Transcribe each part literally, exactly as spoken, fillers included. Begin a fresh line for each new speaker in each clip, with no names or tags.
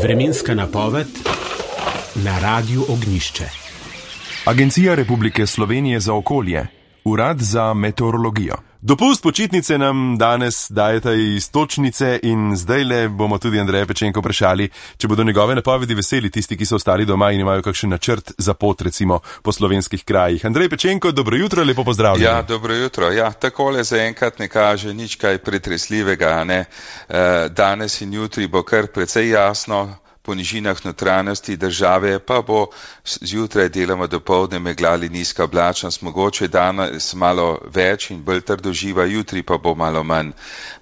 Vremenska napoved na Radiu Ognjišče.
Agencija Republike Slovenije za okolje, Urad za meteorologijo.
Dopust počitnice nam danes dajeta iztočnice in zdajle bomo tudi Andreja Pečenko vprašali, če bodo njegove napovedi veseli tisti, ki so ostali doma in imajo kakšen načrt za pot, recimo po slovenskih krajih. Andrej Pečenko, dobro jutro, lepo pozdravljeni.
Ja, dobro jutro. Ja, takole zaenkrat ne kaže nič kaj pretresljivega, ne. Danes in jutri bo kar precej jasno. Po nižinah notranjosti države pa bo zjutraj deloma dopoldne meglali nizka oblačnost, mogoče danes malo več in bolj trdoživa, jutri pa bo malo manj.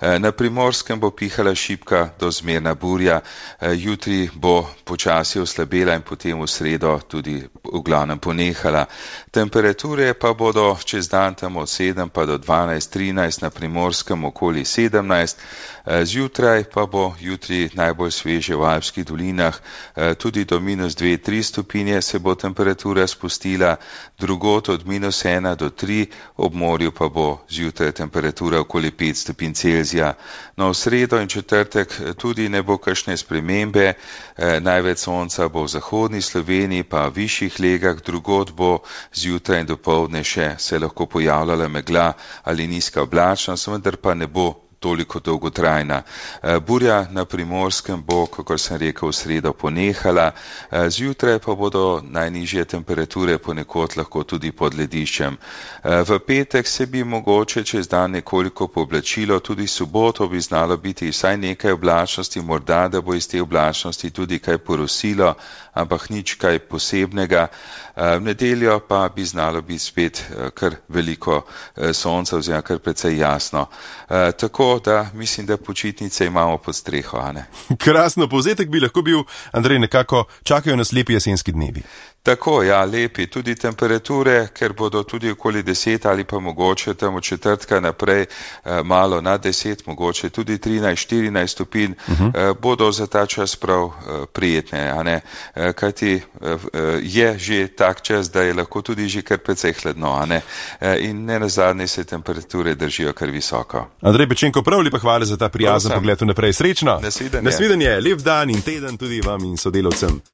Na Primorskem bo pihala šibka do zmerna burja, jutri bo počasi oslabela in potem v sredo tudi v glavnem ponehala. Temperature pa bodo čez dan tam od sedem pa do dvanajst, trinajst, na Primorskem okoli sedemnajst, zjutraj pa bo jutri najbolj sveže v alpskih dolinah. Tudi do minus dve, tri stopinje se bo temperatura spustila, drugot od minus ena do tri, ob morju pa bo zjutraj temperatura okoli pet stopinj Celzija. No, v sredo in četrtek tudi ne bo kakšne spremembe, največ sonca bo v zahodni Sloveniji, pa v višjih legah, drugot bo zjutraj in dopoldne še se lahko pojavljala megla ali nizka oblačnost, vendar pa ne bo toliko dolgotrajna. Burja na Primorskem bo, kako sem rekel, v sredo ponehala, zjutraj pa bodo najnižje temperature ponekod lahko tudi pod lediščem. V petek se bi mogoče čez dan nekoliko pooblačilo, tudi soboto bi znalo biti vsaj nekaj oblačnosti, morda da bo iz te oblačnosti tudi kaj porosilo, ampak nič kaj posebnega. V nedeljo pa bi znalo biti spet kar veliko sonca oziroma kar precej jasno. Tako da mislim, da počitnice imamo pod streho, a ne?
Krasno, povzetek bi lahko bil, Andrej, nekako čakajo nas lepi jesenski dnevi.
Tako, ja, lepi. Tudi temperature, ker bodo tudi okoli deset ali pa mogoče tam od četrtka naprej eh, malo nad deset, mogoče tudi trinajst, štirinajst stopinj, uh-huh. eh, bodo za ta čas prav eh, prijetne, a ne? Eh, kajti eh, je že tak čas, da je lahko tudi že kar precej hladno, a ne? Eh, in ne nazadnje se temperature držijo kar visoko.
Andrej Pečenko, prav lepa hvala za ta prijazen pogled vnaprej. Srečno!
Nasvidenje.
Nasvidenje, lep dan in teden tudi vam in sodelavcem.